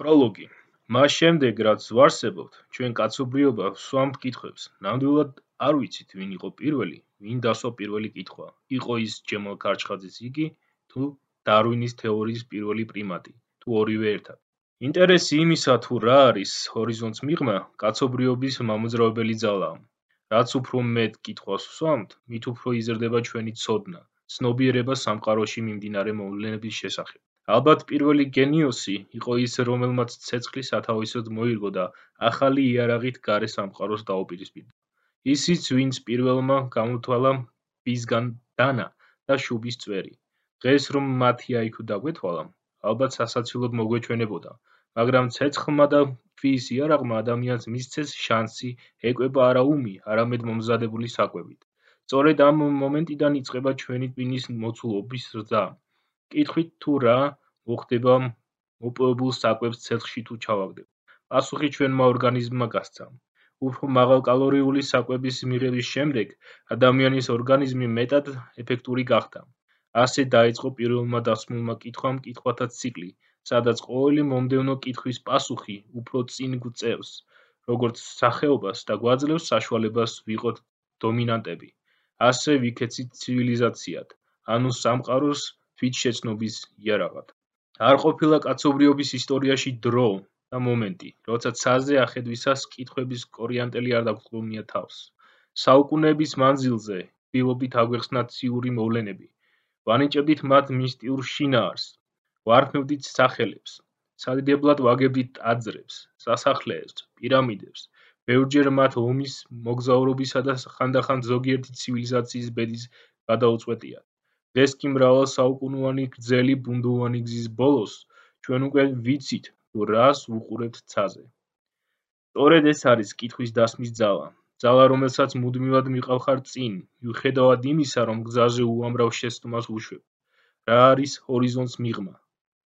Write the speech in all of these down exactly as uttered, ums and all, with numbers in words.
პროლოგი. მას შემდეგ, რაც ვარსებობთ, ჩვენ კაცობრიობა ვსვამთ კითხვებს. ნამდვილად არ ვიცით, ვინ იყო პირველი, ვინ დასვა პირველი კითხვა. იყო ის ჯემალ ქარჩხაძის იგი, თუ დარვინის თეორიის პირველი პრიმატი, თუ ორივე ერთად. ინტერესი იმისა, თუ რა არის ჰორიზონტს მიღმა, კაცობრიობის მამოძრავებელი ძალაა. რაც უფრო მეტ კითხვას ვსვამთ, მით უფრო იზრდება ჩვენი ცოდნა, ცნობიერება სამყაროში მიმდინარე მოვლენების შესახებ. ალბათ პირველი გენიოსი იყო ის, რომელმაც ცეცხლი სათავისოდ მოირგო და ახალი იარაღით გარე სამყაროს დაუპირისპირდა. ისიც, ვინც პირველმა გამოთვალა ბისგან დანა და შუბის წვერი. დღეს რომ მათი აიქუ დაგვეთვალა, ალბათ სასაცილოდ მოგვეჩვენებოდა, მაგრამ ცეცხლმა და ქვის იარაღმა ადამიანს მისცეს შანსი ეკვება არა უმი, არამედ მომზადებული საკვებით. სწორედ ამ მომენტიდან იწყება ჩვენი ტვინის მოცულობის რძა. კითხვით თუ რა მოხდება მოპოვებულ საკვებს ცეცხლში თუ ჩავაგდებ. პასუხი ჩვენმა ორგანიზმმა გასცა. უფრო მაღალკალორიული საკვების მიღების შემდეგ ადამიანის ორგანიზმი მეტად ეფექტური გახდა. ასე დაიწყო პირველმა დასმულმა კითხვამ კითხვათა ციკლი, სადაც ყოველი მომდევნო კითხვის პასუხი უფრო წინ გვწევს, როგორც სახეობას და გვაძლევს საშუალებას ვიყოთ დომინანტები. ასე ვიქეცით ცივილიზაციად, ანუ სამყაროს თვითშეცნობის იარაღად. არ ყოფილა კაცობრიობის ისტორიაში დრო და მომენტი, როცა ცაზე ახედვისას კითხვების კორიანტელი არ დაგვრჩენია თავს. საუკუნეების მანძილზე ვდილობდით აგვეხსნათ ციური მოვლენები, ვანიჭებდით მათ მისტიურ შინაარსს, ვარქმევდით სახელებს, სადიდებლად ვაგებდით ტაძრებს, სასახლეებს, პირამიდებს, ბევრჯერ მათ ომის, მოგზაურობისა და ხანდახან ზოგიერთი ცივილიზაციის ბედის გადაუწყვეტიათ. დღეს კი მრავალსაუკუნოვანი გრძელი ბუნდოვანი გზის ბოლოს ჩვენ უკვე ვიცით, თუ რას ვუყურებთ ცაზე. სწორედ ეს არის კითხვის დასმის ძალა, ძალა, რომელსაც მუდმივად მიყავხარ წინ, მიუხედავად იმისა, რომ გზაზე უამრავ შეცდომას ვუშვებ. რა არის ჰორიზონტს მიღმა?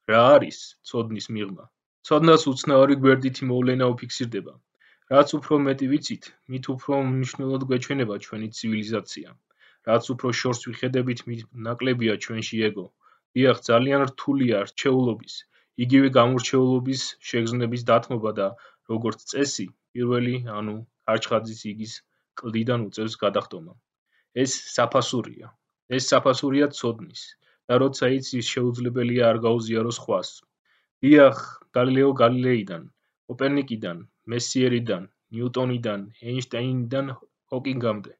რა არის ცოდნის მიღმა? ცოდნას უცნაური გვერდითი მოვლენა უფიქსირდება. რაც უფრო მეტი ვიცით, მით უფრო მნიშვნელოვად გვეჩვენება ჩვენი ცივილიზაცია. რაც უფრო შორს ვიხედებით, მით ნაკლებია ჩვენში ეგო. დიახ, ძალიან რთულია რჩეულობის, იგივე გამორჩეულობის შეგრძნების დათმობა და როგორც წესი, პირველი, ანუ ქარჩხაძის იგის კლდიდან უწევს გადახდომა. ეს საფასურია. ეს საფასურია ცოდნის და როცა იცის, შეუძლებელია არ გაუზიარო სხვას. დიახ, გალილეო გალილეიდან, კოპერნიკიდან, მესიერიდან, ნიუტონიდან, ეინშტაინიდან ჰოკინგამდე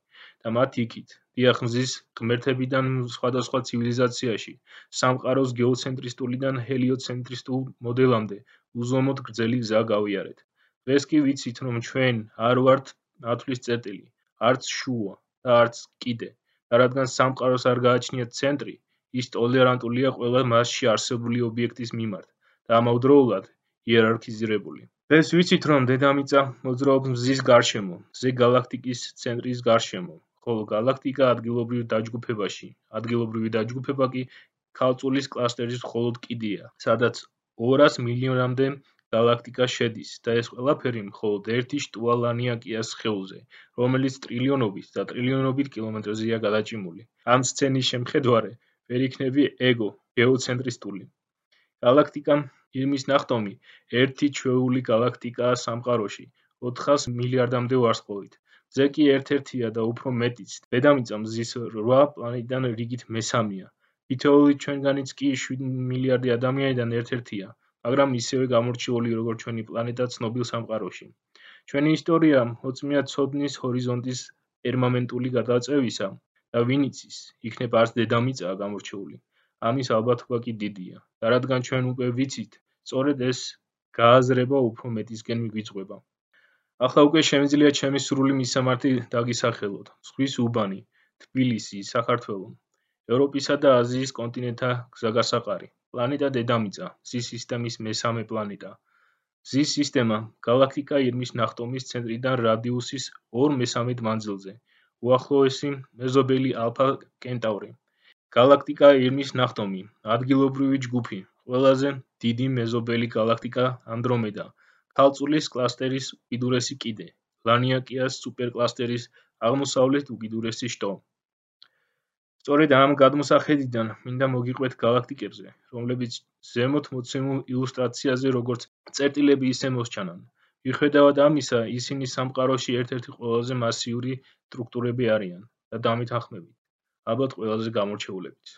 და მათ იქით. დიახ, მზის ღმერთებიდან სხვადასხვა ცივილიზაციაში, სამყაროს გეოცენტრისტულიდან ჰელიოცენტრისტულ მოდელამდე უზომოდ გრძელი გზა გავიარეთ. დღეს კი ვიცით, რომ ჩვენ არ ვართ ათვლის წერტილი, არც შუა და არც კიდე, და რადგან სამყაროს არ გააჩნიათ ცენტრი, ის ტოლერანტულია ყველა მასში არსებული ობიექტის მიმართ და ამავდროულად იერარქიზირებული. დღეს ვიცით, რომ დედამიწა მოძრაობს მზის გარშემო, მზე გალაქტიკის ცენტრის გარშემო, ხოლო გალაქტიკა ადგილობრივ დაჯგუფებაში, ადგილობრივი დაჯგუფება კი ქალწულის კლასტერის მხოლოდ კიდეა, სადაც ორას მილიონამდე გალაქტიკა შედის და ეს ყველაფერი მხოლოდ ერთი შტუა ლანიაკიას სხეულზე, რომელიც ტრილიონობით და ტრილიონობით კილომეტრზეა გადაჭიმული. ამ სცენის შემხედვარე ვერ იქნები ეგო გეოცენტრისტული. გალაქტიკა ირმის ნახტომი ერთი ჩვეული გალაქტიკაა სამყაროში, ოთხას მილიარდამდე ვარსკვლავით. მზე კი ერთ-ერთია და უფრო მეტიც. დედამიწა მზის რვა პლანეტიდან რიგით მესამეა. თითოეული ჩვენგანიც კი შვიდ მილიარდი ადამიანიდან ერთ-ერთია, მაგრამ ისევე გამორჩეული, როგორც ჩვენი პლანეტა ცნობილ სამყაროში. ჩვენი ისტორია მოწმეა ცოდნის ჰორიზონტის პერმანენტული გადაწევისა და ვინ იცის, იქნებ არც დედამიწაა გამორჩეული. ამის ალბათობა კი დიდია. და რადგან ჩვენ უკვე ვიცით, სწორედ ეს გააზრება უფრო მეტისკენ მიგვიწყვება. ახლა უკვე შემიძლია ჩემი სრული მისამართი დაგისახელოთ. ზღვის უბანი, თბილისი, საქართველო, ევროპისა და აზიის კონტინენტთა გზაგასაყარი, პლანეტა დედამიწა, მზის სისტემის მესამე პლანეტა. მზის სისტემა, გალაქტიკა ირმის ნახტომის ცენტრიდან რადიუსის ორ მესამედ მანძილზე, უახლოესი მეზობელი ალფა კენტავრი. გალაქტიკა ირმის ნახტომი, ადგილობრივი ჯგუფი, ყველაზე დიდი მეზობელი გალაქტიკა ანდრომედა, ქალწულის კლასტერის უკიდურესი კიდე, ლანიაკიას სუპერკლასტერის აღმოსავლეთ უკიდურესი შტო. სწორედ ამ გადმოსახედიდან მინდა მოგიყვეთ გალაქტიკებზე, რომლებიც ზემოთ მოცემულ ილუსტრაციაზე როგორც წერტილები ისე მოსჩანან. მიუხედავად ამისა, ისინი სამყაროში ერთ-ერთი ყველაზე მასიური სტრუქტურები არიან და დამითანხმებით, ალბათ ყველაზე გამორჩეულებიც.